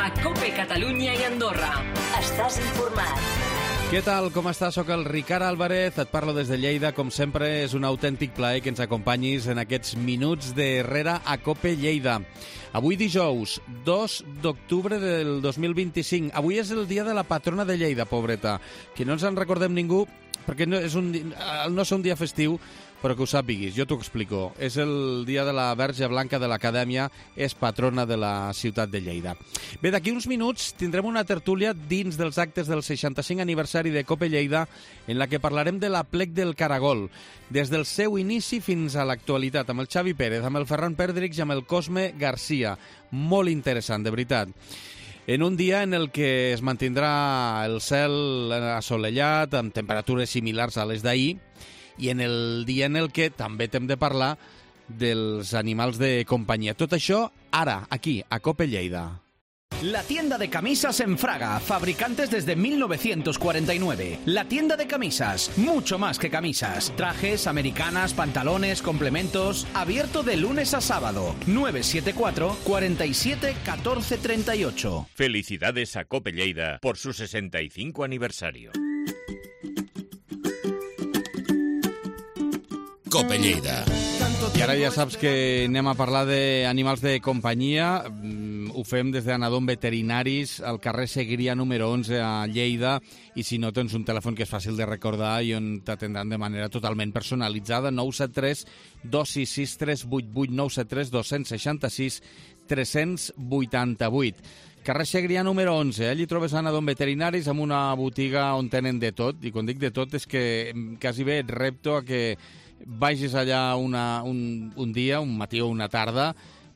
a COPE Catalunya i Andorra. Estàs informat. Què tal? Com estàs? Soc el Ricard Álvarez, et parlo des de Lleida. Com sempre, és un autèntic plaer que ens acompanyis en aquests minuts d'Herrera a COPE Lleida. Avui dijous, 2 d'octubre del 2025. Avui és el dia de la patrona de Lleida, pobreta. Que no ens en recordem ningú, perquè no és un dia festiu, però que ho sàpiguis, jo t'ho explico. És el dia de la Verge Blanca de l'Acadèmia, és patrona de la ciutat de Lleida. Bé, d'aquí uns minuts tindrem una tertúlia dins dels actes del 65 aniversari de COPE Lleida, en la que parlarem de l'Aplec del Caragol, des del seu inici fins a l'actualitat, amb el Xavi Pérez, amb el Ferran Perdrix i amb el Cosme Garcia. Molt interessant, de veritat. En un dia en el que es mantindrà el cel assolellat, amb temperatures similars a les d'ahir, i en el dia en el que també hem de parlar dels animals de companyia. Tot això ara, aquí, a COPE Lleida. La tienda de camisas en Fraga, fabricantes desde 1949. La tienda de camisas, mucho más que camisas. Trajes, americanas, pantalones, complementos. Abierto de lunes a sábado. 974 47 14 38. Felicidades a COPE Lleida por su 65 aniversario. COPE Lleida. I ara ja saps que anem a parlar d'animals de companyia. Ho fem des d'Anadom Veterinaris, al carrer Segrià número 11 a Lleida, i si no tens un telèfon que és fàcil de recordar i on t'atendran de manera totalment personalitzada, 973 266 388, 973 266 388. Carrer Segrià número 11, allí trobes Anadom Veterinaris amb una botiga on tenen de tot, i quan dic de tot és que quasi bé et repto a que vagis allà un dia, un matí o una tarda,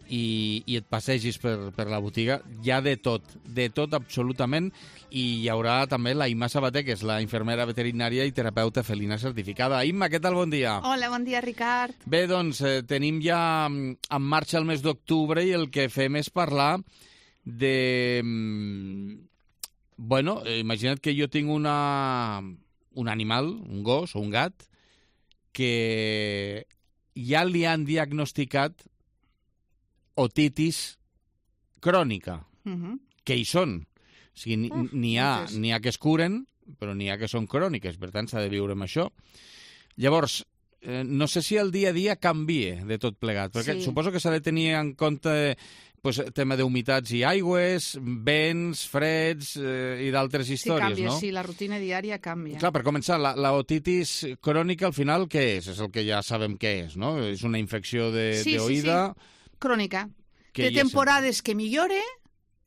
i et passegis per la botiga. Hi ha de tot absolutament, i hi haurà també la Imma Sabater, que és la infermera veterinària i terapeuta felina certificada. Imma, què tal? Bon dia. Hola, bon dia, Ricard. Bé, doncs, tenim ja en marxa el mes d'octubre i el que fem és parlar de... Bueno, imagina't que jo tinc un animal, un gos o un gat, que ja li han diagnosticat otitis crònica, que hi són. O sigui, n'hi ha que es curen, però n'hi ha que són cròniques, per tant s'ha de viure amb això. Llavors, no sé si el dia a dia canvia de tot plegat, perquè suposo que s'ha de tenir en compte tema d'humitats i aigües, vents, freds i d'altres històries, canvia, no? Sí, la rutina diària canvia. Clar, per començar, la otitis crònica, al final, què és? És el que ja sabem què és, no? És una infecció d'oïda... Sí, crònica. Té temporades que millora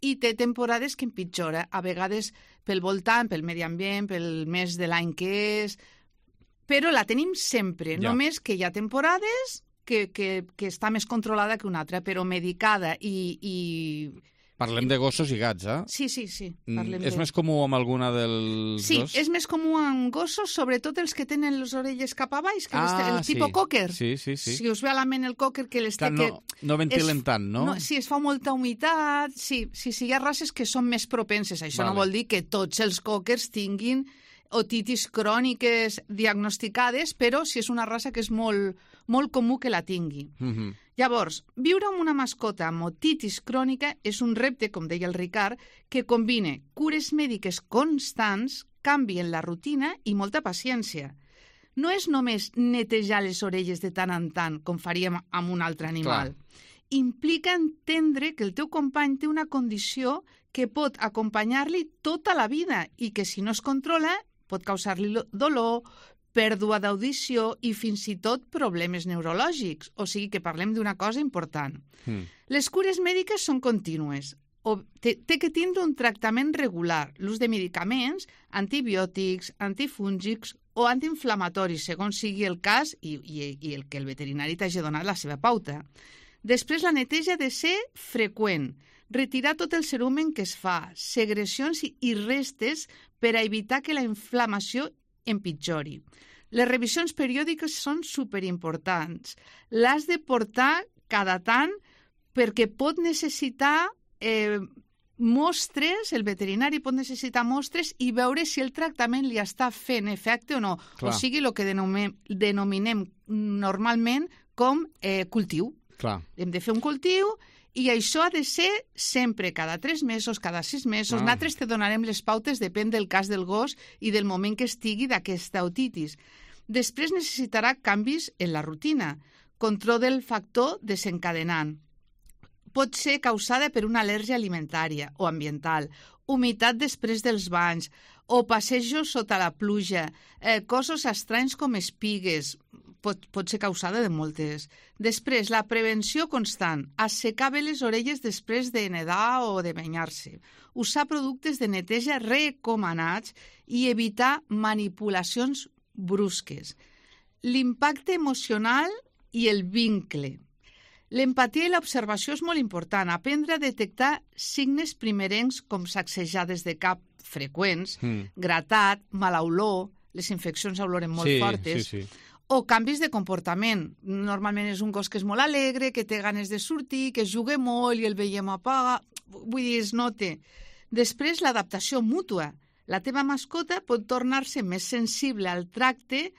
i té temporades que empitjora. A vegades pel voltant, pel medi ambient, pel mes de l'any que és... Però la tenim sempre, només que hi ha temporades que està més controlada que una altra, però medicada i... Parlem de gossos i gats, eh? Sí. És més comú amb alguna dels dos? Sí, és més comú amb gossos, sobretot els que tenen les orelles cap a baix, el tipus cocker. Sí. Si us ve a la ment el cocker que les té... No ventilen tant, no? Sí, es fa molta humitat. Sí, hi ha races que són més propenses. Això no vol dir que tots els cockers tinguin otitis cròniques diagnosticades, però si és una raça que és molt comú que la tingui. Llavors, viure amb una mascota amb otitis crònica és un repte, com deia el Ricard, que combina cures mèdiques constants, canvi en la rutina i molta paciència. No és només netejar les orelles de tant en tant, com faríem amb un altre animal. Implica entendre que el teu company té una condició que pot acompanyar-li tota la vida i que si no es controla pot causar-li dolor, pèrdua d'audició i fins i tot problemes neurològics. O sigui que parlem d'una cosa important. Les cures mèdiques són contínues. Té que tindre un tractament regular, l'ús de medicaments, antibiòtics, antifúngics o antiinflamatoris, segons sigui el cas i el que el veterinari t'hagi donat la seva pauta. Després, la neteja ha de ser freqüent. Retirar tot el cerumen que es fa, segrecions i restes per a evitar que la inflamació empitjori. Les revisions periòdiques són superimportants. L'has de portar cada tant perquè pot necessitar mostres, el veterinari pot necessitar mostres i veure si el tractament li està fent efecte o no. Clar. O sigui, el que denominem normalment com cultiu. Clar. Hem de fer un cultiu i això ha de ser sempre, cada 3 mesos, cada 6 mesos. Nosaltres te donarem les pautes, depèn del cas del gos i del moment que estigui d'aquesta otitis. Després necessitarà canvis en la rutina, control del factor desencadenant. Pot ser causada per una al·lèrgia alimentària o ambiental, humitat després dels banys o passejos sota la pluja, cossos estranys com espigues, pot ser causada de moltes. Després, la prevenció constant, assecar bé les orelles després de nedar o de banyar-se, usar productes de neteja recomanats i evitar manipulacions brusques. L'impacte emocional i el vincle. L'empatia i l'observació és molt important. Aprendre a detectar signes primerencs com sacsejades de cap freqüents, gratat, mala olor, les infeccions oloren molt fortes, o canvis de comportament. Normalment és un gos que és molt alegre, que té ganes de sortir, que juga molt i el veiem apaga. Vull dir, es nota. Després, l'adaptació mútua. La teva mascota pot tornar-se més sensible al tracte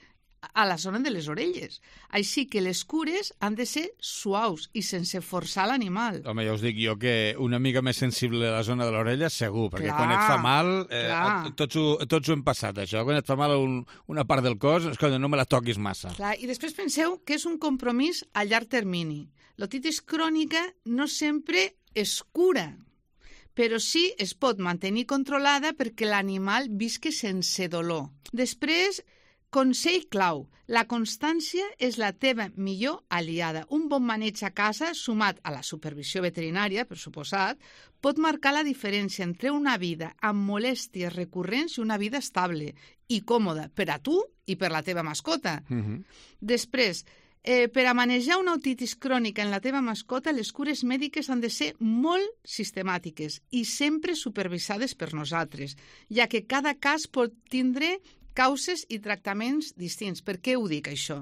a la zona de les orelles. Així que les cures han de ser suaus i sense forçar l'animal. Home, ja us dic jo que una mica més sensible a la zona de l'orella segur, perquè quan et fa mal, tots ho hem passat, això. Quan et fa mal una part del cos, és que no me la toquis massa. Clar, i després penseu que és un compromís a llarg termini. L'otitis crònica no sempre es cura, però sí es pot mantenir controlada perquè l'animal visqui sense dolor. Després, consell clau, la constància és la teva millor aliada. Un bon maneig a casa, sumat a la supervisió veterinària, per suposat, pot marcar la diferència entre una vida amb molèsties recurrents i una vida estable i còmoda per a tu i per la teva mascota. Després, per a manejar una otitis crònica en la teva mascota, les cures mèdiques han de ser molt sistemàtiques i sempre supervisades per nosaltres, ja que cada cas pot tindre causes i tractaments distints. Per què ho dic, això?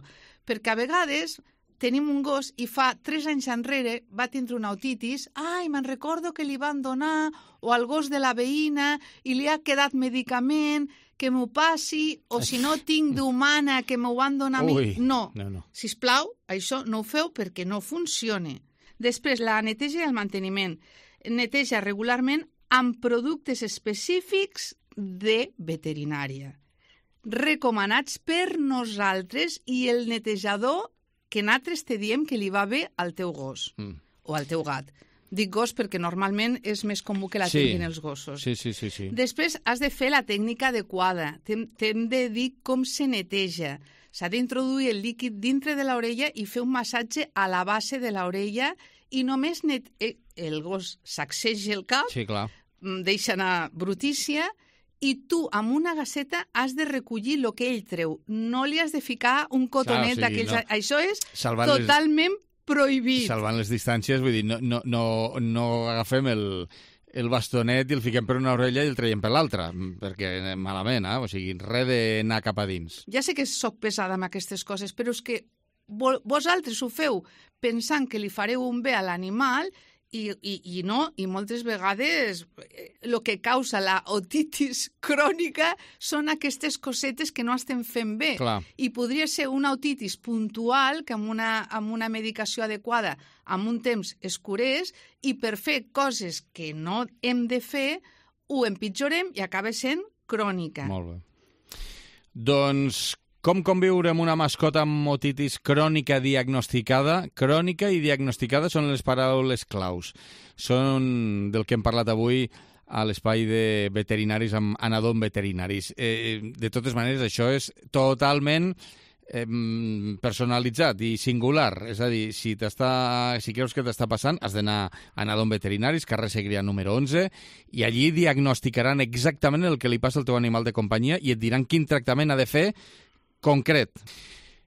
Perquè a vegades tenim un gos i fa 3 anys enrere va tindre una otitis, me'n recordo que li van donar, o al gos de la veïna, i li ha quedat medicament, que m'ho passi, o si no tinc d'humana, que m'ho van donar a mi. No. Sisplau, això no ho feu perquè no funciona. Després, la neteja i el manteniment. Neteja regularment amb productes específics de veterinària, recomanats per nosaltres, i el netejador que nosaltres te diem que li va bé al teu gos o al teu gat. Dic gos perquè normalment és més comú que la tinguin els gossos. Sí. Després has de fer la tècnica adequada. T'hem de dir com se neteja. S'ha d'introduir el líquid dintre de l'orella i fer un massatge a la base de l'orella i només el gos sacseja el cap, deixa anar brutícia, i tu, amb una gasseta, has de recollir el que ell treu. No li has de ficar un cotonet d'aquells... No. Això és totalment prohibit. Salvant les distàncies, vull dir, no agafem el bastonet i el fiquem per una orella i el traiem per l'altra, perquè malament, o sigui, res d'anar cap a dins. Ja sé que sóc pesada amb aquestes coses, però és que vosaltres ho feu pensant que li fareu un bé a l'animal i no, i moltes vegades el que causa la otitis crònica són aquestes cosetes que no estem fent bé. I podria ser una otitis puntual que amb una medicació adequada amb un temps es curés, i per fer coses que no hem de fer ho empitjorem i acaba sent crònica. Molt bé. Doncs com conviure amb una mascota amb otitis crònica diagnosticada? Crònica i diagnosticada són les paraules claus. Són del que hem parlat avui a l'espai de veterinaris amb Anadom Veterinaris. De totes maneres, això és totalment personalitzat i singular. És a dir, si creus que t'està passant, has d'anar a Anadom Veterinaris, carrer Segrià número 11, i allí diagnosticaran exactament el que li passa al teu animal de companyia i et diran quin tractament ha de fer concret.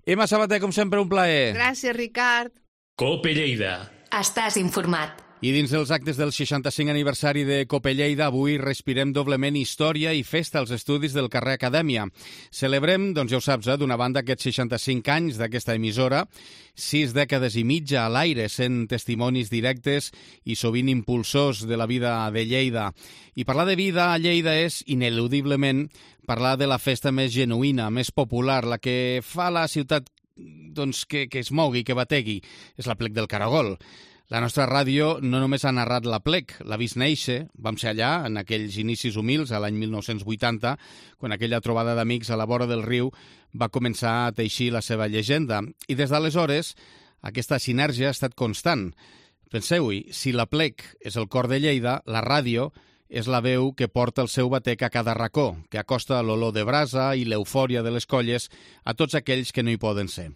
Emma Sabater, com sempre, un plaer. Gràcies, Ricard. Cope Lleida. Estàs informat. I dins dels actes del 65 aniversari de Cope Lleida, avui respirem doblement història i festa als estudis del carrer Acadèmia. Celebrem, doncs ja ho saps, d'una banda aquests 65 anys d'aquesta emissora, 6 dècades i mitja a l'aire, sent testimonis directes i sovint impulsors de la vida de Lleida. I parlar de vida a Lleida és, ineludiblement, parlar de la festa més genuïna, més popular, la que fa la ciutat doncs, que es mogui, que bategui. És l'Aplec del Caragol. La nostra ràdio no només ha narrat l'Aplec, l'ha vist néixer. Vam ser allà, en aquells inicis humils, a l'any 1980, quan aquella trobada d'amics a la vora del riu va començar a teixir la seva llegenda. I des d'aleshores, aquesta sinergia ha estat constant. Penseu-hi, si l'Aplec és el cor de Lleida, la ràdio és la veu que porta el seu batec a cada racó, que acosta l'olor de brasa i l'eufòria de les colles a tots aquells que no hi poden ser.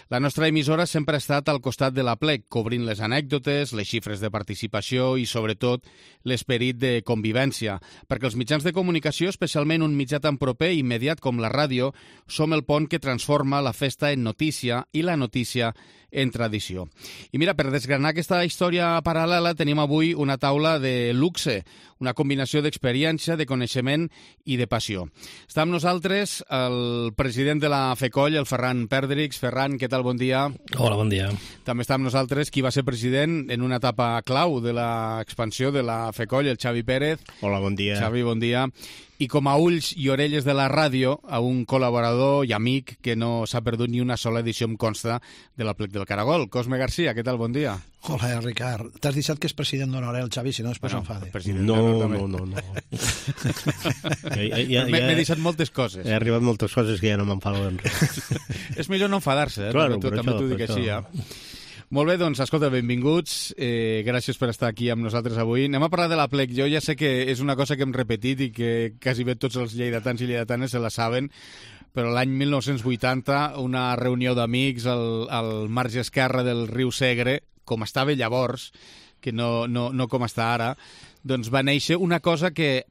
La nostra emissora sempre ha estat al costat de l'Aplec, cobrint les anècdotes, les xifres de participació i, sobretot, l'esperit de convivència, perquè els mitjans de comunicació, especialment un mitjà tan proper i immediat com la ràdio, som el pont que transforma la festa en notícia i la notícia en tradició. I mira, per desgranar aquesta història paral·lela tenim avui una taula de luxe, una combinació d'experiència, de coneixement i de passió. Està amb nosaltres el president de la FECOLL, el Ferran Perdrix. Ferran, què tal? Bon dia. Hola, bon dia. També està amb nosaltres qui va ser president en una etapa clau de l'expansió de la FECOLL, el Xavi Pérez. Hola, bon dia. Xavi, bon dia. I com a ulls i orelles de la ràdio, a un col·laborador i amic que no s'ha perdut ni una sola edició, em consta, de l'Aplec del Caragol. Cosme García, què tal? Bon dia. Hola, Ricard. T'has deixat que és president d'honor, el Xavi, si no després s'enfada. No. M'he deixat moltes coses. He arribat moltes coses que ja no m'enfado en res. És millor no enfadar-se, Claro, també t'ho dic així, ja. Molt bé, doncs, escolta, benvinguts. Gràcies per estar aquí amb nosaltres avui. Anem a parlar de l'Aplec. Jo ja sé que és una cosa que hem repetit i que quasi bé tots els lleidatans i lleidatanes se la saben, però l'any 1980, una reunió d'amics al marge esquerre del riu Segre, com estava llavors, que no com està ara, doncs va néixer una cosa que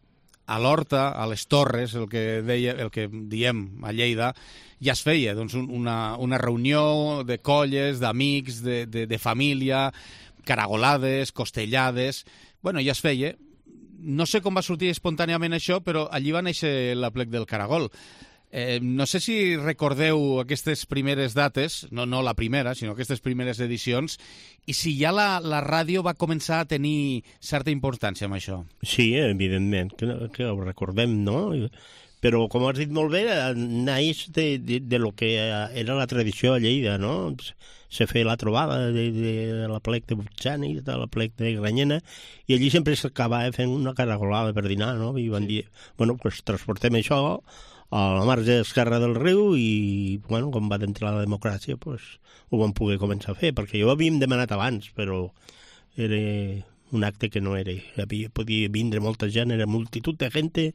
a l'Horta, a les Torres, el que diem a Lleida, ja es feia, doncs una reunió de colles, d'amics, de família, caragolades, costellades. Bueno, ja es feia. No sé com va sortir espontàniament això, però allí va néixer l'Aplec del Caragol. No sé si recordeu aquestes primeres dates, no la primera, sinó aquestes primeres edicions, i si ja la ràdio va començar a tenir certa importància amb això. Sí, evidentment, que ho recordem, no? Però, com has dit molt bé, naix de lo que era la tradició a Lleida, no? Se feia la trobada de l'Aplec de Butxani, de l'Aplec de Granyena, i allí sempre s'acabava fent una caragolada per dinar, no? I van dir, bueno, pues transportem això a la marge esquerra del riu i, bueno, com va d'entrar la democràcia, pues, ho vam poder començar a fer, perquè jo ho havíem demanat abans, però era un acte que no era. Podia vindre molta gent, era multitud de gent,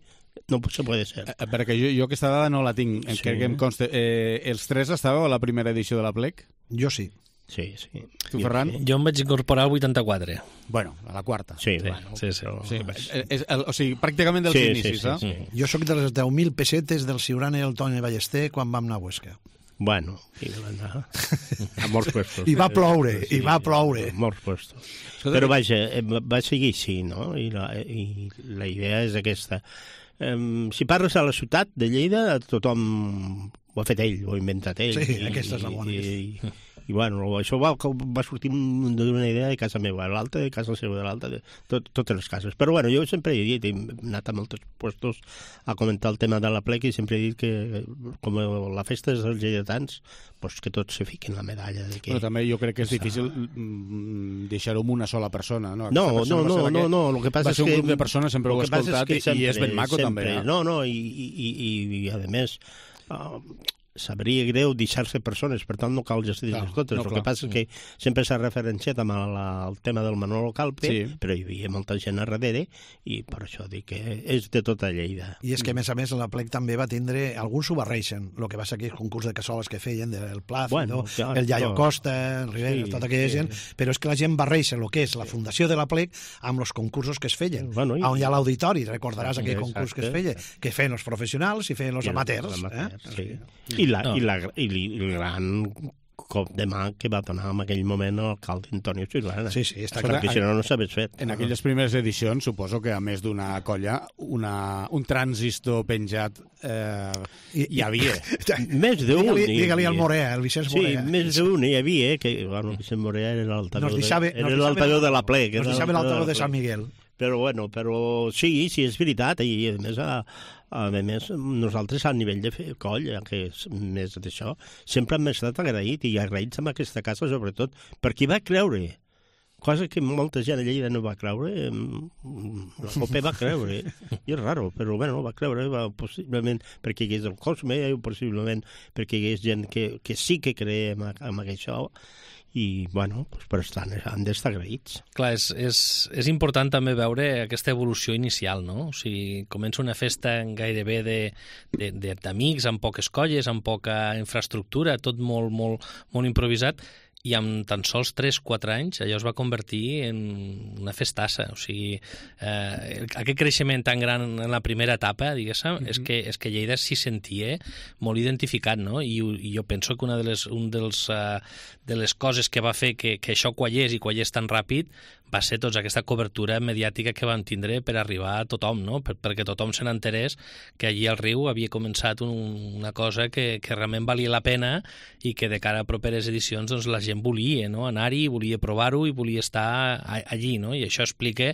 no se puede ser. Perquè jo aquesta dada no la tinc, Sí. crec que em consta. Els tres estàveu a la primera edició de l'Aplec? Jo sí. Sí. Tu, Ferran? Jo em vaig incorporar al 84. Bueno, a la quarta. Sí, Sí. Sí, o sigui, pràcticament dels inicis, eh? Sí. Jo sóc de les 10.000 pessetes del Ciurana i el Toni Ballester quan vam anar a Huesca. Bueno, i van anar a molts puestos. I va ploure, i va ploure. A molts puestos. Però vaja, va seguir així, no? I la idea és aquesta. Si parles a la ciutat de Lleida, tothom ho ha fet ell, ho ha inventat ell. Sí, aquesta és la bona. I bueno, això va sortir d'una idea de casa meva, l'altra de casa seva, de l'altra de totes les cases. Però bueno, jo sempre he dit, he anat a molts puestos a comentar el tema de l'Aplec i sempre he dit que com la festa és dels lleidatans, pues que tots se fiquin la medalla. De que... Però també jo crec que és difícil deixar-ho amb una sola persona, no? No, el que passa va ser és que... un grup de persones, sempre ho he escoltat, i és ben maco també. No, i a més... sabria greu deixar-se persones, per tant no cal gestir-les totes. El que passa és que sempre s'ha referenciat amb el tema del Manolo Calpe, però hi havia molta gent a darrere i per això dic que és de tota Lleida. I és que, a més, l'Aplec també va tindre... Alguns s'ho barreixen, el que va ser aquells concurs de cassoles que feien, del Plácido, el Yayo Costa, el Rivera, tota aquella gent, però és que la gent barreixa el que és la fundació de l'Aplec amb els concursos que es feien. On hi ha l'auditori, recordaràs aquell concurs que es feia, que feien els professionals i feien els amateurs. I el gran cop de mà que va donar en aquell moment l'alcalde Antonio Ciurana. Sí, està clar. Perquè si no s'hagués fet. En aquelles primeres edicions, suposo que a més d'una colla, un transistor penjat hi havia. Més d'un. Digue-li al Morea, el Vicenç Morea. Sí, més d'un hi havia, que el Vicenç Morea era l'altaveu de l'Aplec. Nos deixava l'altaveu de Sant Miguel. Però sí, és veritat, i a més nosaltres a nivell de fer coll, que és més d'això, sempre hem estat agraïts, i agraïts amb aquesta casa sobretot, perquè va creure, cosa que molta gent a Lleida no va creure, la COPE va creure, i és raro, però va creure, possiblement perquè hi hagués el Cosme, possiblement perquè hi hagués gent que sí que creia en això, i, per tant, han d'estar agraïts. Clar, és important també veure aquesta evolució inicial, no? O sigui, comença una festa gairebé d'amics, amb poques colles, amb poca infraestructura, tot molt, molt, molt improvisat, i amb tan sols 3-4 anys allò es va convertir en una festassa. O sigui, aquest creixement tan gran en la primera etapa, diguéssim, és que Lleida s'hi sentia molt identificat, no? I jo penso que una de les coses que va fer que això quallés i quallés tan ràpid va ser tota aquesta cobertura mediàtica que van tindre per arribar a tothom, no? Perquè tothom se n'enterés que allí al riu havia començat una cosa que realment valia la pena i que de cara a properes edicions doncs, la gent volia, no? Anar-hi, volia provar-ho i volia estar allí, no? I això explica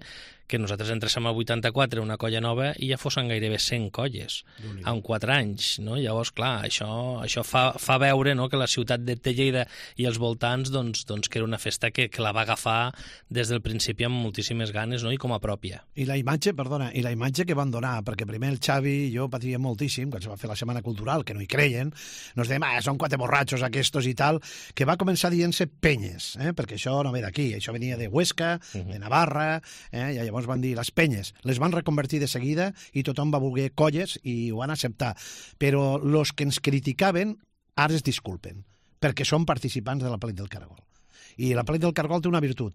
que nosaltres entréssim al 84 una colla nova i ja fossin gairebé 100 colles en 4 anys, no? Llavors, clar, això fa veure, no?, que la ciutat de Lleida i els voltants doncs que era una festa que la va agafar des del principi amb moltíssimes ganes, no?, i com a pròpia. I la imatge que van donar, perquè primer el Xavi i jo patíem moltíssim, quan se va fer la Setmana Cultural, que no hi creien, nos dèiem, són 4 borratxos aquestos i tal, que va començar dient-se penyes, perquè això no ve d'aquí, això venia de Huesca, de Navarra, i llavors van dir les penyes, les van reconvertir de seguida i tothom va voler colles i ho van acceptar. Però els que ens criticaven ara es disculpen, perquè són participants de la Plec del Cargol. I la Plec del Cargol té una virtut,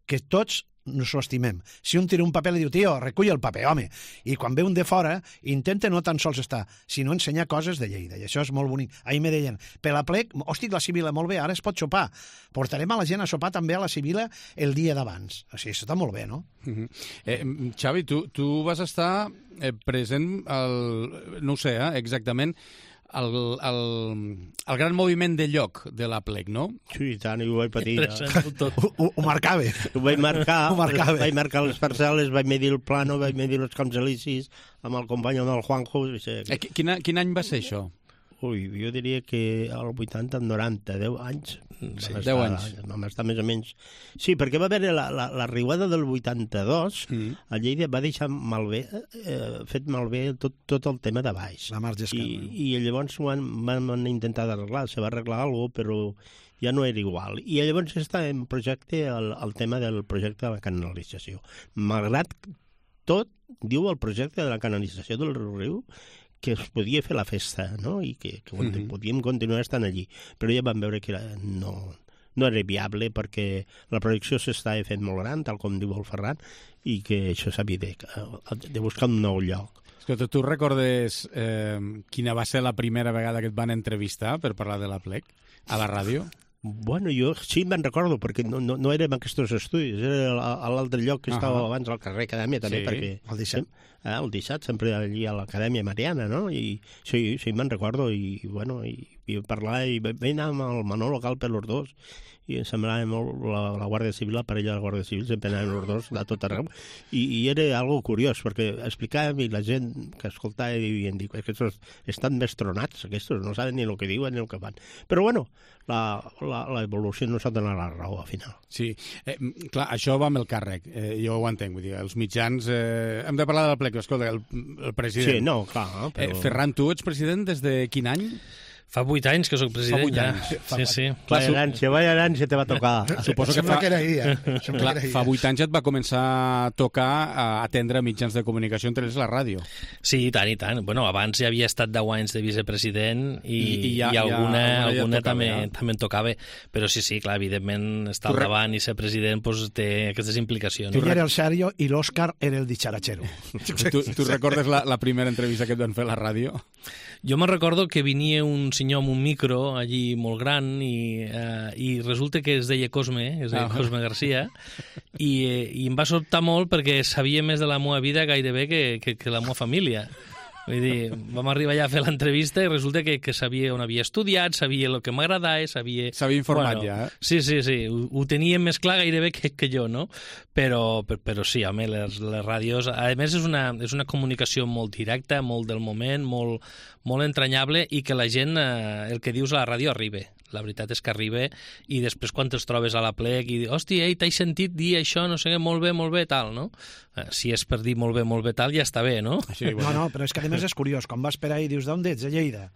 que tots nos ho estimem. Si un tira un paper, li diu, tio, recull el paper, home. I quan ve un de fora, intenta no tan sols estar, sinó ensenyar coses de Lleida. I això és molt bonic. Ahir me deien, per la Plec, hosti, la Sibila, molt bé, ara es pot sopar. Portarem a la gent a sopar també a la Sibila el dia d'abans. O sigui, això està molt bé, no? Xavi, tu vas estar present, no ho sé, exactament, el gran moviment de lloc de la Plec, no? Sí, i tant, i ho vaig patir. Ho marcava. Ho vaig marcar les parcel·les, vaig medir el plano, vaig medir els camps elicis amb el company, amb el Juanjo. Quin any va ser això? Ui, jo diria que al 80, 90, 10 anys. Sí, 10 anys. Vam estar més o menys. Sí, perquè va haver la riuada del 82, a Lleida va deixar fet malbé tot el tema de baix. La marge esquerra. I llavors van intentar arreglar, se va arreglar alguna cosa, però ja no era igual. I llavors està en projecte el tema del projecte de la canalització. Malgrat tot, diu el projecte de la canalització del riu, que es podia fer la festa, no?, i que podíem continuar estant allí. Però ja vam veure que no era viable perquè la projecció s'estava fent molt gran, tal com diu el Ferran, i que això s'havia de buscar un nou lloc. Escolta, tu recordes quina va ser la primera vegada que et van entrevistar per parlar de la Plec a la ràdio? Bueno, jo sí me'n recordo, perquè no era en aquests estudis, era a l'altre lloc que estava abans al carrer Acadèmia, també, perquè el 17, sempre allí a l'Acadèmia Mariana, no? I sí, me'n recordo, i parlar, i vaig anar amb el Manolo local per els dos, i em semblava molt la Guàrdia Civil, la parella de la Guàrdia Civil, sempre anaven els dos de tot arreu, i era algo curiós, perquè explicàvem i la gent que escoltava i em diu, aquests estan més tronats, aquests no saben ni el que diuen ni el que fan. Però bueno, l'evolució no s'ha donat la raó al final. Sí, clar, això va amb el càrrec, jo ho entenc, vull dir, els mitjans... hem de parlar de la Plec, escolta, el president... Sí, no, clar, però... Ferran, tu ets president des de quin any? Fa 8 anys que soc president. Fa 8 anys. Sí. Vaya herència te va tocar. Suposo que que era ahir. Fa 8 anys et va començar a tocar a atendre mitjans de comunicació, entre ells la ràdio. Sí, i tant. Bueno, abans ja havia estat 10 anys de vicepresident i alguna també em tocava. Però sí, clar, evidentment, estar al davant i ser president té aquestes implicacions. Ell era el Sergio i l'Òscar era el dicharachero. Tu recordes la primera entrevista que et van fer a la ràdio? Jo me'n recordo que venia un senyor amb un micro allí molt gran i resulta que es deia Cosme, Cosme Garcia, i em va sobtar molt perquè sabia més de la meva vida gairebé que la meva família. Vull dir, vam arribar allà a fer l'entrevista i resulta que sabia on havia estudiat, sabia el que m'agradava, sabia... S'havia informat ja, eh? Sí, ho teníem més clar gairebé que jo, no? Però sí, home, les ràdios... A més, és una comunicació molt directa, molt del moment, molt entranyable, i que la gent, el que dius a la ràdio, arriba. La veritat és que arriba, i després quan te'ls trobes a la plec i dius, hòstia, t'he sentit dir això, no sé què, molt bé, tal, no? Si és per dir molt bé, tal, ja està bé, no? Sí, bueno. No, però és que a més és curiós, quan vas per ahí i dius, d'on ets? De Lleida.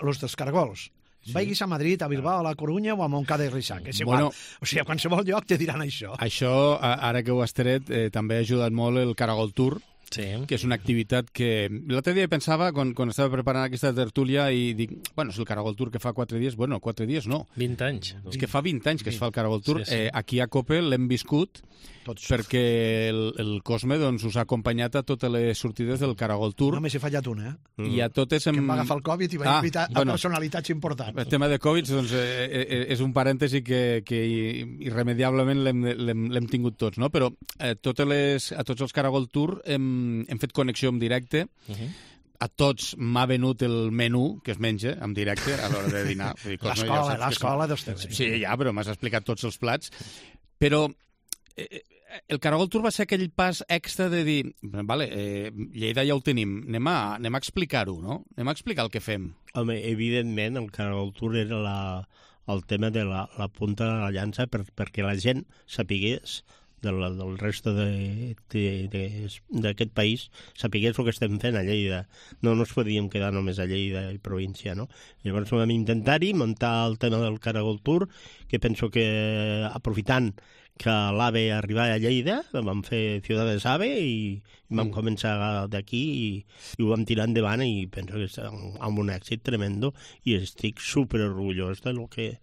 Los dels Caragols. Sí. Vaiguis a Madrid, a Bilbao, a La Corunya o a Montcada i Reixac. És igual. O sigui, a qualsevol lloc te diran això. Això, ara que ho has tret, també ha ajudat molt el Caragol Tour, sí, que és una activitat que... L'altre dia pensava, quan estava preparant aquesta tertúlia, i dic, bueno, és el Caragol Tour que fa 4 dies, bueno, 4 dies no. 20 anys. És que fa 20 anys que es fa el Caragol Tour. Sí. Aquí a COPE l'hem viscut perquè el Cosme us ha acompanyat a totes les sortides del Caragol Tour. Només he fallat una, I a totes... Que em va agafar el Covid i va invitar a personalitats importants. El tema de Covid és un parèntesi que irremediablement l'hem tingut tots, no? Però a tots els Caragol Tour hem fet connexió en directe. A tots m'ha venut el menú que es menja en directe a l'hora de dinar. L'escola dels teus. Sí, ja, però m'has explicat tots els plats. Però el Caragol Tour va ser aquell pas extra de dir, vale, Lleida ja ho tenim, anem a explicar-ho, no? Anem a explicar el que fem. Home, evidentment, el Caragol Tour era el tema de la punta de la llança perquè la gent sapigués del resto d'aquest país, sapigués el que estem fent a Lleida. No ens podíem quedar només a Lleida i província, no? Llavors vam intentar-hi muntar el tema del Caragol Tour, que penso que aprofitant que l'AVE arribava a Lleida, vam fer Ciudades AVE i vam començar d'aquí i ho vam tirar endavant i penso que és amb un èxit tremendo i estic superorgullós de lo que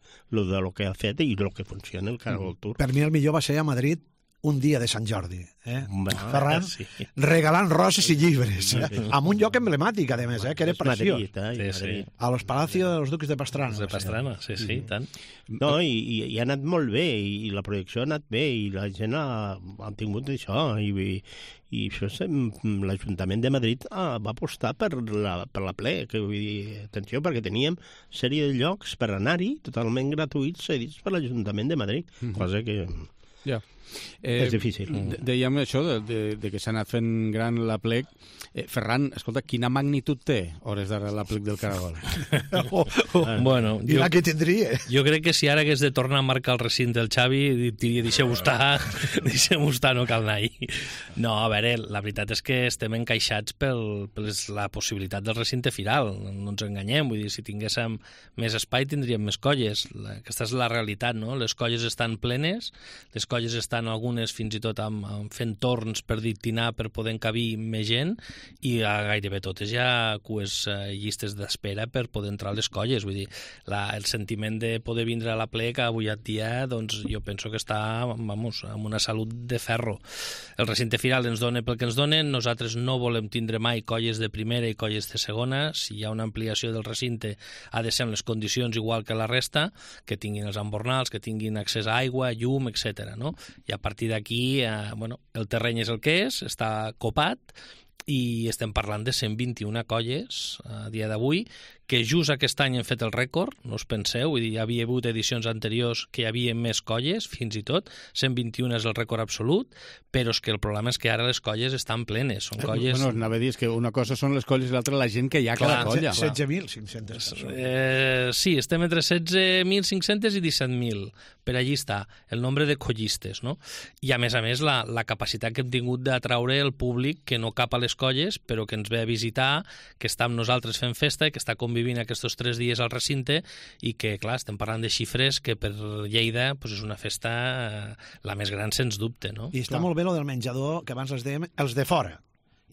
ha fet i de lo que funciona el Caragol Tour. Per mi el millor va ser a Madrid un dia de Sant Jordi, Ferran, regalant roses i llibres, amb un lloc emblemàtic, a més, que era preciós. Madrid. A los Palacios de los Duques de Pastrana. De Pastrana, sí, tant. No, i ha anat molt bé, i la projecció ha anat bé, i la gent ha tingut això, i això l'Ajuntament de Madrid va apostar per la ple, que vull dir, atenció, perquè teníem sèrie de llocs per anar-hi totalment gratuïts cedits per l'Ajuntament de Madrid, cosa que... Ja. És difícil. Dèiem això de que s'ha anat fent gran la plec. Ferran, escolta, quina magnitud té hores d'ara la plec del Caragol? Bueno, i la que tindria. Jo crec que si ara hagués de tornar a marcar el recinte del Xavi, diria, deixeu-ho estar, no cal anar-hi. No, a veure, la veritat és que estem encaixats per la possibilitat del recinte firal, no ens enganyem, vull dir, si tinguéssim més espai tindríem més colles. Aquesta és la realitat, no? Les colles estan plenes, les colles estan algunes fins i tot fent torns per dictinar per poder encabir més gent i gairebé totes hi ha llistes d'espera per poder entrar a les colles. Vull dir, el sentiment de poder vindre a la plec avui en dia, doncs jo penso que està amb una salut de ferro. El recinte firal ens dona pel que ens donen, nosaltres no volem tindre mai colles de primera i colles de segona. Si hi ha una ampliació del recinte ha de ser en les condicions igual que la resta, que tinguin els embornals, que tinguin accés a aigua, llum, etc. No? I a partir d'aquí, el terreny és el que és, està copat, i estem parlant de 121 colles a dia d'avui, que just aquest any hem fet el rècord, no us penseu, vull dir, hi havia hagut edicions anteriors que hi havia més colles, fins i tot, 121 és el rècord absolut, però és que el problema és que ara les colles estan plenes, són colles... Bueno, anava a dir, és que una cosa són les colles i l'altra la gent que hi ha a cada colla. 16.500. Sí, estem entre 16.500 i 17.000, per allí està el nombre de collistes, no? I a més, la capacitat que hem tingut d'atraure el públic que no cap a les colles, però que ens ve a visitar, que està amb nosaltres fent festa i que està convivint aquests 3 dies al recinte i que, clar, estem parlant de xifres que per Lleida pues, és una festa la més gran, sens dubte, no? I està molt bé lo del menjador, que abans els dèiem, els de fora.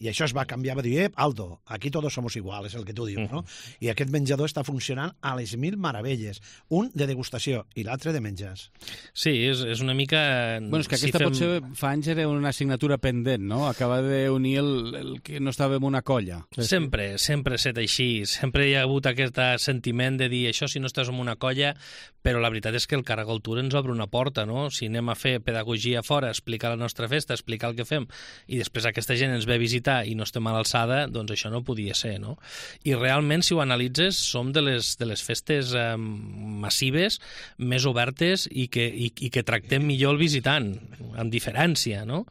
I això es va canviar, va dir, Aldo, aquí todos somos iguales, el que tu dius, no? I aquest menjador està funcionant a les mil meravelles. Un de degustació i l'altre de menjars. Sí, és una mica... Bueno, és que aquesta potser fa anys era una assignatura pendent, no? Acaba d'unir el que no estava en una colla. Sempre ha estat així. Sempre hi ha hagut aquest sentiment de dir això si no estàs en una colla, però la veritat és que el Caragol Tour ens obre una porta, no? Si anem a fer pedagogia fora, explicar la nostra festa, explicar el que fem, i després aquesta gent ens ve a visitar, està i no estem a l'alçada, doncs això no podia ser, no? I realment, si ho analitzes, som de les festes massives, més obertes i que tractem millor el visitant, amb diferència, no?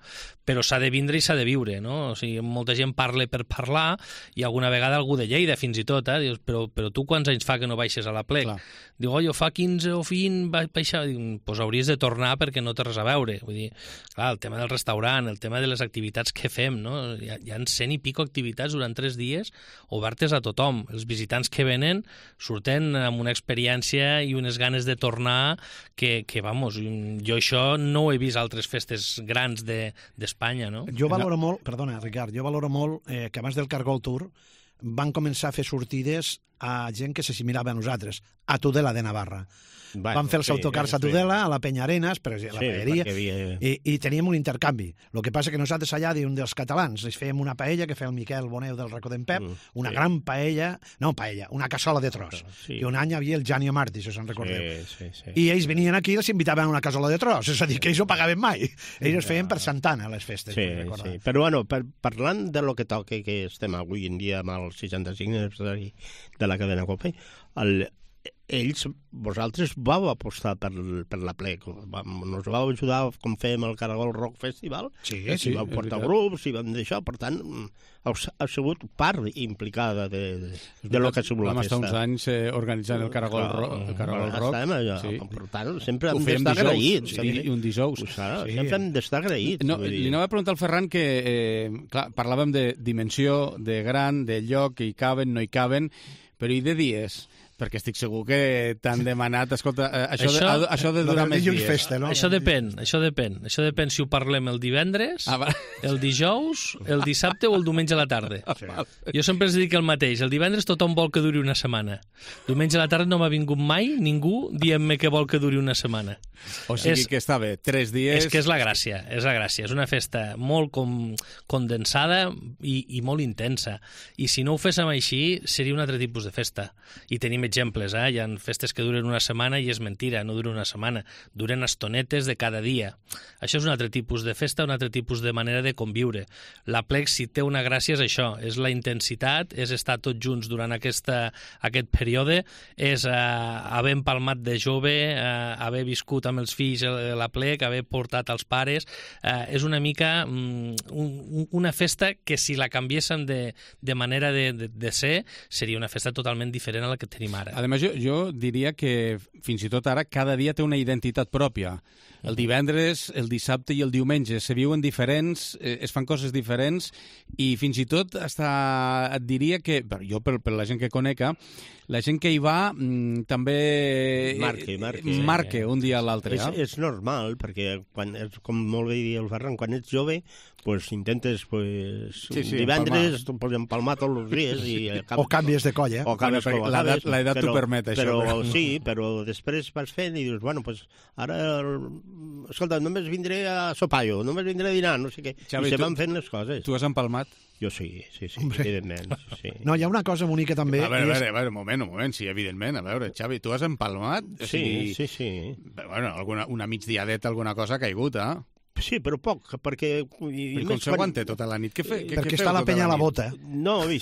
Però s'ha de vindre i s'ha de viure, no? O sigui, molta gent parla per parlar i alguna vegada algú de Lleida, fins i tot, dius, però tu quants anys fa que no baixes a la Plec? Clar. Diu, jo fa 15 o 20 vaig baixar. Dic, doncs hauries de tornar perquè no té res a veure. Vull dir, clar, el tema del restaurant, el tema de les activitats que fem, no? Hi ha 100 i pico activitats durant 3 dies obertes a tothom. Els visitants que venen surten amb una experiència i unes ganes de tornar que vamos, jo això no ho he vist a altres festes grans d'Espanya, no? Jo valoro molt, perdona, Ricard, que abans del Cargol Tour van començar a fer sortides a gent que s'assimilava a nosaltres, a Tudela de Navarra. Van fer els autocars a Tudela, a la Penyarenas, per exemple, la paelleria, i teníem un intercanvi. El que passa que nosaltres allà, d'un dels catalans, ens fèiem una paella que feia el Miquel Boneu del Racó d'en Pep, una gran paella, una cassola de tros. I un any hi havia el Janio Martí, si se'n recordeu. I ells venien aquí i els invitaven a una cassola de tros, és a dir, que ells ho pagaven mai. Ells es feien per Santana, les festes. Sí. Però, bueno, parlant de lo que toca, que estem avui en dia amb el 65 aniversari de la cadena Cope, vosaltres vau apostar per la Plec, nos vau ajudar com fèiem el Caragol Rock Festival, i vau portar grups i vam deixar, per tant ha sigut part implicada de lo que ha sigut la festa. Vam estar uns anys organitzant el Caragol Rock. Per tant, sempre hem d'estar agraïts. I un dijous. Sempre hem d'estar agraïts. Li anava a preguntar al Ferran que, clar, parlàvem de dimensió, de gran, de lloc, que hi caben, no hi caben, però i de dies? Perquè estic segur que t'han demanat, escolta, això de durar més dies. Festa, no? Això depèn. Això depèn si ho parlem el divendres, el dijous, el dissabte o el diumenge a la tarda. Jo sempre els dic el mateix. El divendres tothom vol que duri una setmana. Diumenge a la tarda no m'ha vingut mai ningú dient-me que vol que duri una setmana. O sigui que està bé, 3 dies... És que és la gràcia. És una festa molt condensada i molt intensa. I si no ho féssim així, seria un altre tipus de festa. I tenim exemples, hi ha festes que duren una setmana i és mentira, no duren una setmana, duren estonetes de cada dia. Això és un altre tipus de festa, un altre tipus de manera de conviure. La Plec, si té una gràcia, és això, és la intensitat, és estar tots junts durant aquest període, és haver empalmat de jove, haver viscut amb els fills la Plec, haver portat els pares, és una mica una festa que si la canviéssim de manera de ser, seria una festa totalment diferent a la que tenim ara. A més, jo diria que fins i tot ara cada dia té una identitat pròpia. El divendres, el dissabte i el diumenge se viuen diferents, es fan coses diferents i fins i tot et diria que, jo per la gent que conec, la gent que hi va també marca un dia a l'altre. És normal, perquè com molt bé dia el Ferran, quan ets jove intentes divendres empalmar tots els dies o canvies de colla. L'edat t'ho permet, això. Sí, però després vas fent i dius, bueno, ara escolta, només vindré a sopar només vindré a dinar, no sé què. I se van fent les coses. Tu has empalmat? Jo sí, evidentment. No, hi ha una cosa bonica també. A veure, un moment, sí, evidentment. A veure, Xavi, tu has empalmat? Sí. Bueno, una migdiadeta, alguna cosa ha caigut, Sí, però poc, perquè... I com s'aguanta tota la nit? Perquè està la penya a la bota. No, i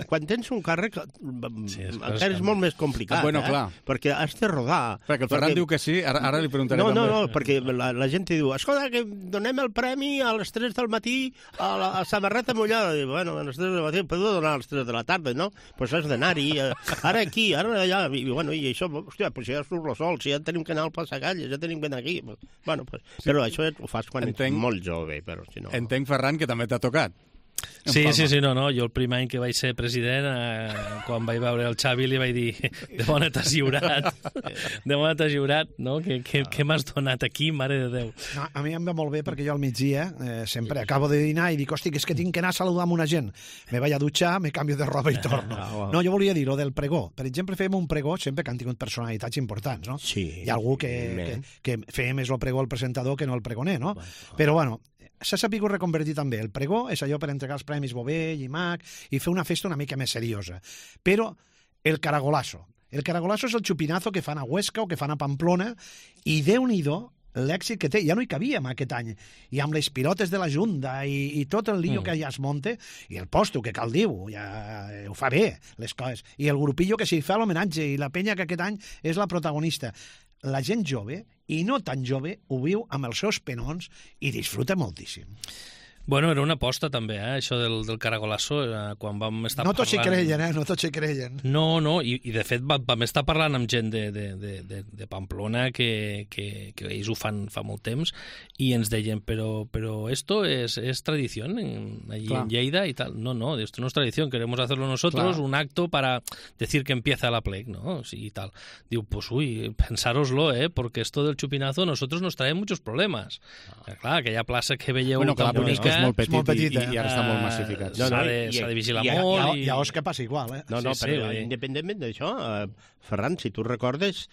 quan tens un càrrec encara és molt més complicat, clar. Perquè has de rodar. Perquè el Ferran diu que sí, ara li preguntaré també. No, perquè la gent diu, escolta, que donem el premi a les 3 del matí a la samarreta mullada. Bueno, a les 3 del matí, podeu donar a les 3 de la tarda, no? Doncs has d'anar-hi, ara aquí, ara allà, i això, hòstia, ja surt el sol, si ja tenim que anar al Passagalles, ja tenim que anar aquí. Bueno, però això ho fas quan ets molt jove, però si no... Entenc, Ferran, que també t'ha tocat. Sí, no, jo el primer any que vaig ser president, quan vaig veure el Xavi li vaig dir, de bona t'has lliurat, no? Què m'has donat aquí, mare de Déu? No, a mi em va molt bé perquè jo al migdia sempre acabo de dinar i dic, hosti, que és que tinc que anar a saludar amb una gent. Me vaig a dutxar, me canvio de roba i torno. No, jo volia dir lo del pregó. Per exemple, fèiem un pregó sempre que han tingut personalitats importants, no? Sí. Hi ha algú que fèiem més el pregó al presentador que no el pregoner, no? Però, bueno, s'ha sabut reconvertir també. El pregó és allò per entregar els premis Bové, Llimac i fer una festa una mica més seriosa. Però el caragolazo. El caragolazo és el xupinazo que fan a Huesca o que fan a Pamplona i Déu-n'hi-do l'èxit que té, ja no hi cabíem aquest any, i amb les pilotes de la Junta i tot el lío que ja es monta, i el posto, que cal dir-ho, ja ho fa bé, les coses, i el grupillo que s'hi fa l'homenatge, i la penya que aquest any és la protagonista. La gent jove, i no tan jove, ho viu amb els seus penons i disfruta moltíssim. Bueno, era una aposta també, això del caragolasso, quan vam estar parlant... No tots s'hi creien, no tots s'hi creien. No, i de fet vam estar parlant amb gent de Pamplona que ells ho fan fa molt temps i ens deien, però esto es tradición allí en Lleida y tal. No, esto no es tradición, queremos hacerlo nosotros, un acto para decir que empieza la plec, ¿no? Sí, y tal. Diu, pues pensároslo, porque esto del chupinazo nosotros nos trae muchos problemas. Clar, aquella plaça que veieu tan bonica... És molt petit i ara està molt massificat. S'ha de vigilar molt. I a Osca passa igual, però independentment d'això, Ferran, si tu recordes,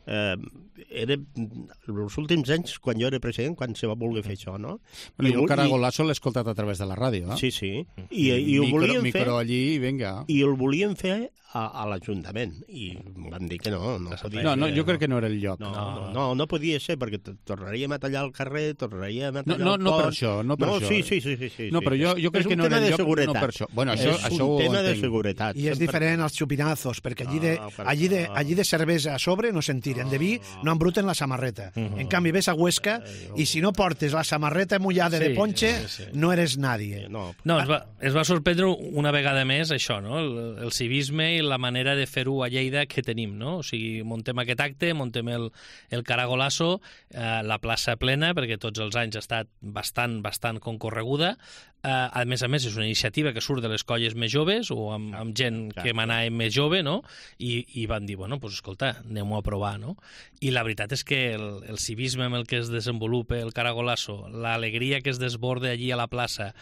era els últims anys, quan jo era president, quan se va voler fer això, no? Bueno, jo el caragolasso l'he escoltat a través de la ràdio, eh? Sí. I ho volien fer... Micro allí i vinga. I el volien fer a l'Ajuntament i van dir que no podia ser. No, jo crec que no era el lloc. No podia ser, perquè tornaríem a tallar el carrer, tornaríem a tallar el pont... No per això, no per això. Sí. No, però jo crec que no era el lloc, no per això. Bueno, això és un tema de seguretat. I és diferent als xupinazos, perquè allí de cervesa a sobre no se'n tiren, de vi no embruten la samarreta. En canvi, ves a Huesca i si no portes la samarreta mullada de ponche, no eres nadie. No, es va sorprendre una vegada més això, no? El civisme i la manera de fer-ho a Lleida que tenim, no? O sigui, montem aquest acte, montem el caragolasso, la plaça plena, perquè tots els anys ha estat bastant concorreguda. A més, és una iniciativa que surt de les colles més joves o amb gent que manava més jove, no? I van dir, bueno, doncs escolta, anem-ho a provar, no? I la veritat és que el civisme amb el que es desenvolupa el caragolasso, l'alegria que es desborda allí a la plaça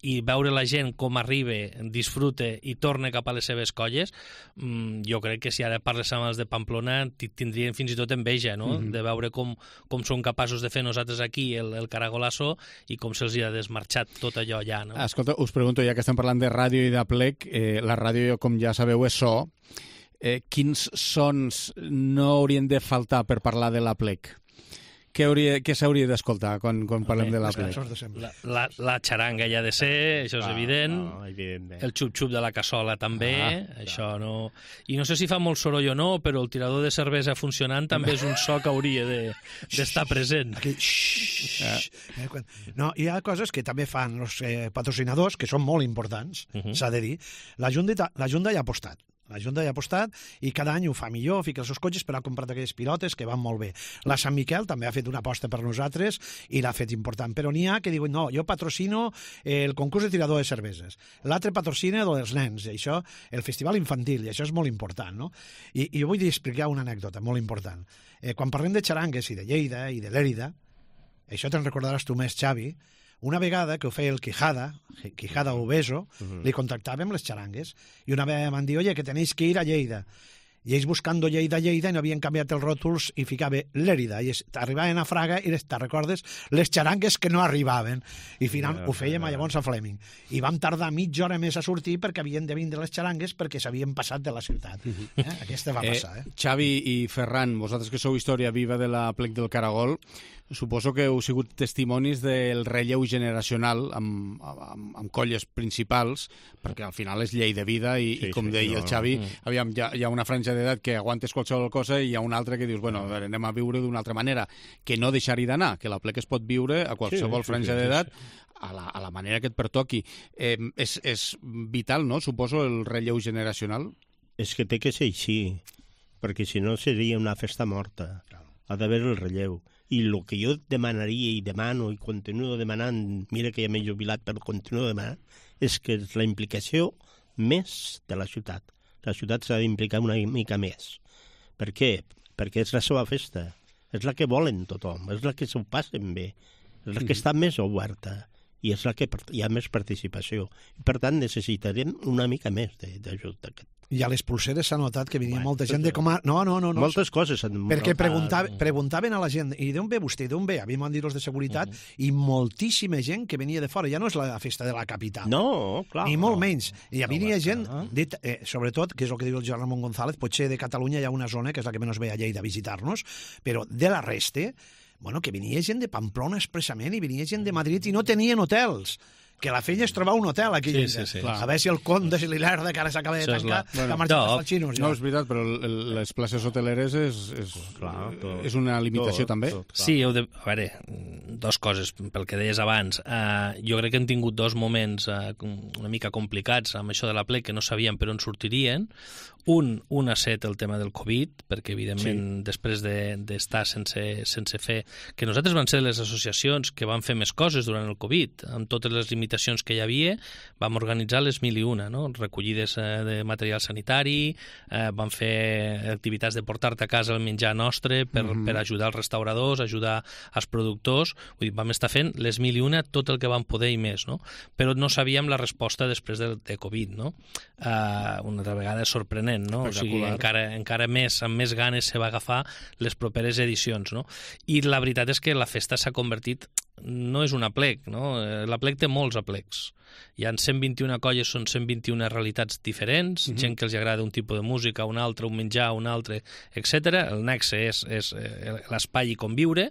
i veure la gent com arriba, disfruta i torna cap a les seves colles, jo crec que si ara parles amb els de Pamplona tindrien fins i tot enveja, no? De veure com som capaços de fer nosaltres aquí el caragolasso i com se'ls ha desmarxat tot allò allà, no? Escolta, us pregunto, ja que estem parlant de ràdio i de plec, la ràdio, com ja sabeu, és so. Quins sons no haurien de faltar per parlar de la plec? Què s'hauria d'escoltar quan parlem de la plec? La xaranga ja ha de ser, això és evident. El xup-xup de la cassola també, això no... I no sé si fa molt soroll o no, però el tirador de cervesa funcionant també és un so que hauria d'estar present. No, hi ha coses que també fan els patrocinadors, que són molt importants, s'ha de dir. La Junta hi ha apostat. La Junta hi ha apostat i cada any ho fa millor, fica els seus cotxes, però ha comprat aquelles pilotes que van molt bé. La Sant Miquel també ha fet una aposta per nosaltres i l'ha fet important, però n'hi ha que diuen, no, jo patrocino el concurs de tirador de cerveses, l'altre patrocina dels nens, i això, el festival infantil, i això és molt important, no? I jo vull explicar una anècdota molt important. Quan parlem de xarangues i de Lleida i de Lèrida, això te'n recordaràs tu més, Xavi, una vegada que ho feia el Quijada Obeso, li contactàvem les xarangues, i una vegada m'han dit, oye, que tenéis que ir a Lleida. I ells buscando Lleida, i no havien canviat els ròtols i ficava Lèrida, i arribaven a Fraga i te recordes les xarangues que no arribaven, i finalment ho fèiem llavors a Fleming, i vam tardar mitja hora més a sortir perquè havien de vindre les xarangues perquè s'havien passat de la ciutat. Aquesta va passar. Xavi i Ferran, vosaltres que sou història viva de la plec del Caragol, suposo que heu sigut testimonis del relleu generacional amb colles principals, perquè al final és llei de vida i com deia el Xavi, aviam, hi ha una franja d'edat que aguantes qualsevol cosa i hi ha una altra que dius, bueno, a veure, anem a viure d'una altra manera, que no deixar-hi d'anar, que la plec es pot viure a qualsevol franja d'edat a la manera que et pertoqui. És vital, no?, suposo, el relleu generacional? És que té que ser així, perquè si no seria una festa morta. Ha d'haver el relleu. I el que jo demanaria i demano i continuo demanant, mira que ja m'he jubilat però continuo demanant, és que és la implicació més de la ciutat. La ciutat s'ha d'implicar una mica més. Per què? Perquè és la seva festa. És la que volen tothom, és la que s'ho passen bé, és la que està més oberta i és la que hi ha més participació. I per tant necessitarem una mica més d'ajut. I a les pulseres s'ha notat que venia molta gent de com a... No. Moltes coses. Perquè preguntaven a la gent, i d'on ve vostè, d'on ve? Havíem dit els de seguretat, i moltíssima gent que venia de fora. Ja no és la festa de la capital. No, clar. Ni molt menys. I venia gent, sobretot, que és el que diu el Joan Ramon González, potser de Catalunya hi ha una zona, que és la que menys ve a Lleida a visitar-nos, però de la resta, bueno, que venia gent de Pamplona expressament i venia gent de Madrid i no tenien hotels. Que la feina és trobar un hotel aquí. Sí. A veure si el Conde, si l'Hilarda, que ara s'acaba de tancar, que ha marxat als xinos. No, és veritat, però les places hoteleres és una limitació també. Sí, a veure, dues coses, pel que deies abans. Jo crec que hem tingut dos moments una mica complicats amb això de la plec, que no sabíem per on sortirien. Un ha set el tema del Covid, perquè evidentment després d'estar sense fer... Que nosaltres vam ser les associacions que van fer més coses durant el Covid, amb totes les limitacions que hi havia, vam organitzar les 1001, no? Recollides de material sanitari, vam fer activitats de portar-te a casa el menjar nostre per ajudar els restauradors, ajudar els productors, vull dir, vam estar fent les 1001 tot el que vam poder i més, no? Però no sabíem la resposta després de Covid, no? Una altra vegada és sorprenent, no? O sigui, encara més, amb més ganes se va agafar les properes edicions, no? I la veritat és que la festa s'ha convertit, no és una plec, no? La plec té molts aplecs. Hi ha 121 colles, són 121 realitats diferents, gent que els agrada un tipus de música, un altre, un menjar, un altre, etc. El nexe és l'espai i conviure,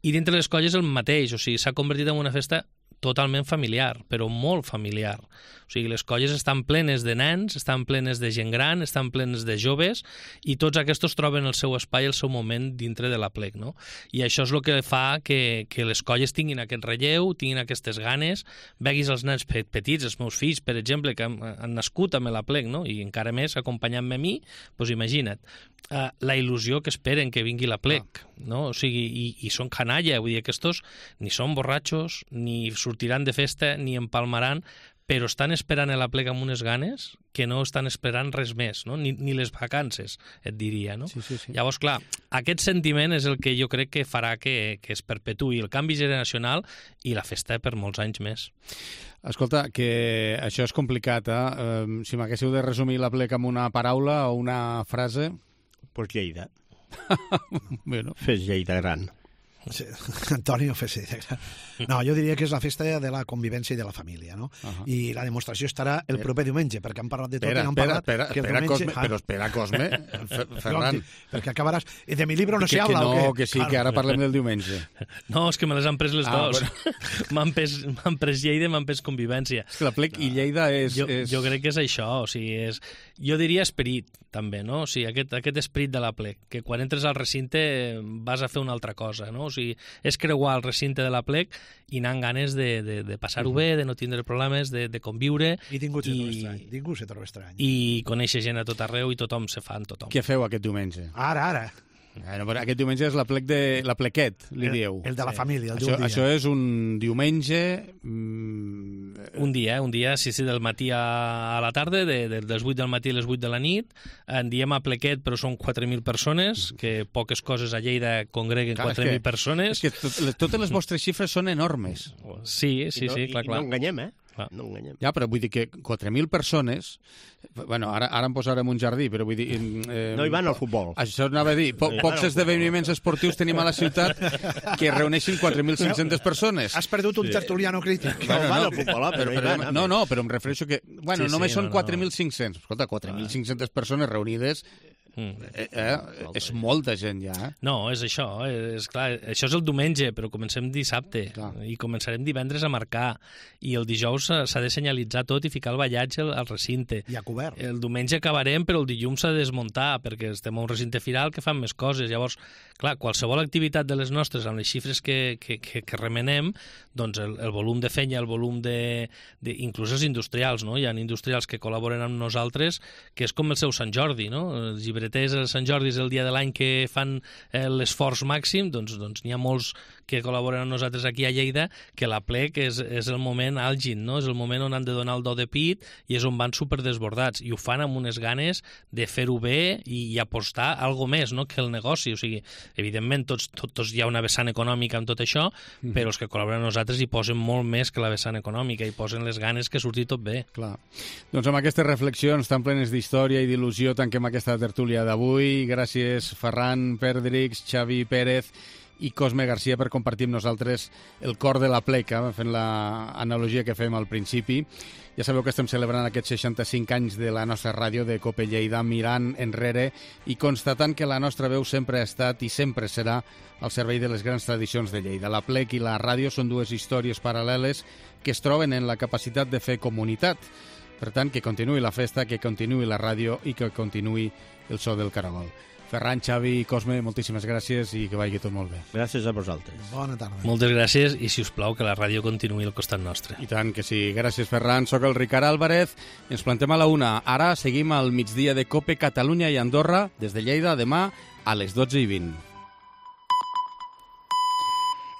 i dintre les colles el mateix, o sigui, s'ha convertit en una festa totalment familiar, però molt familiar. O sigui, les colles estan plenes de nens, estan plenes de gent gran, estan plenes de joves, i tots aquests troben el seu espai, el seu moment dintre de la plec, no? I això és el que fa que les colles tinguin aquest relleu, tinguin aquestes ganes, veguis els nens petits, els meus fills, per exemple, que han nascut amb la plec, no? I encara més acompanyant-me a mi, doncs imagina't, la il·lusió que esperen que vingui la plec, no? O sigui, i són canalla, vull dir, aquests ni són borratxos, ni sortiran de festa, ni empalmaran, però estan esperant a la plec amb unes ganes que no estan esperant res més, no? Ni les vacances, et diria, no? Sí. Llavors, clar, aquest sentiment és el que jo crec que farà que es perpetuï el canvi generacional i la festa per molts anys més. Escolta, que això és complicat, si m'haguéssiu de resumir la plec amb una paraula o una frase... Pues Lleida. Bueno. Fes Lleida gran. Sí, Antonio Fes Lleida gran. No, jo diria que és la festa de la convivència i de la família, no? I la demostració estarà el proper diumenge, perquè han parlat de tot i no han parlat... Espera, Cosme, Ferran. Perquè acabaràs... De mi libro no se habla, o què? No, que sí, que ara parlem del diumenge. No, és que me les han pres les dos. Bueno. M'han pres Lleida i m'han pres convivència. És que la plec i Lleida és... Jo crec que és això, o sigui, jo diria esperit, també, no? O sigui, aquest esperit de la plec, que quan entres al recinte vas a fer una altra cosa, no? O sigui, és creuar el recinte de la plec i anar amb ganes de passar-ho bé, de no tindre problemes, de conviure. I ningú se troba estrany. I conèixer gent a tot arreu i tothom se fa amb tothom. Què feu aquest diumenge? Ara. Bueno, però aquest diumenge és la plequet, li dieu. El de la família, el d'un dia. Això és un diumenge... Un dia, sí, del matí a la tarda, dels 8 del matí a les 8 de la nit. En diem a plequet, però són 4.000 persones, que poques coses a Lleida congreguen 4.000 persones. És que totes les vostres xifres són enormes. Sí, clar. No enganyem, No enganyem. Ja, però vull dir que 4.000 persones... Bueno, ara em posarem un jardí, però vull dir... No hi van al futbol. Això anava a dir. Pocs esdeveniments esportius tenim a la ciutat que reuneixin 4.500 persones. Has perdut un tertuliano crític. No van al futbol, però em refereixo que... Bueno, només són 4.500. Escolta, 4.500 persones reunides... és molta gent ja. No, és això, és clar, això és el diumenge, però comencem dissabte i començarem divendres a marcar i el dijous s'ha de senyalitzar tot i ficar el ballatge al recinte. I a cobert. El diumenge acabarem, però el dilluns s'ha de desmuntar perquè estem a un recinte firal que fan més coses. Llavors, clar, qualsevol activitat de les nostres amb les xifres que remenem, doncs el volum de fenya, el volum inclús els industrials, no? Hi ha industrials que col·laboren amb nosaltres que és com el seu Sant Jordi, no? Els llibreters a Sant Jordi és el dia de l'any que fan l'esforç màxim, doncs n'hi ha molts que col·laboren amb nosaltres aquí a Lleida, que la plec és el moment àlgid, no? És el moment on han de donar el do de pit i és on van superdesbordats. I ho fan amb unes ganes de fer-ho bé i apostar algo més, no?, que el negoci. O sigui, evidentment, tots hi ha una vessant econòmica en tot això, però els que col·laboren amb nosaltres hi posen molt més que la vessant econòmica, hi posen les ganes que surti tot bé. Clar. Doncs amb aquestes reflexions tan plenes d'història i d'il·lusió tanquem aquesta tertúlia d'avui. Gràcies, Ferran Perdrix, Xavi Pérez i Cosme Garcia per compartir amb nosaltres el cor de la pleca, fent l'analogia que fem al principi. Ja sabeu que estem celebrant aquests 65 anys de la nostra ràdio de Cope Lleida, mirant enrere i constatant que la nostra veu sempre ha estat i sempre serà al servei de les grans tradicions de Lleida. La plec i la ràdio són dues històries paral·leles que es troben en la capacitat de fer comunitat. Per tant, que continuï la festa, que continuï la ràdio i que continuï el so del caragol. Ferran, Xavi i Cosme, moltíssimes gràcies i que vagi tot molt bé. Gràcies a vosaltres. Bona tarda. Moltes gràcies i, si us plau, que la ràdio continuï al costat nostre. I tant que sí. Gràcies, Ferran. Soc el Ricard Álvarez. Ens plantem a la 1. Ara seguim al migdia de Cope Catalunya i Andorra des de Lleida demà a les 12:20.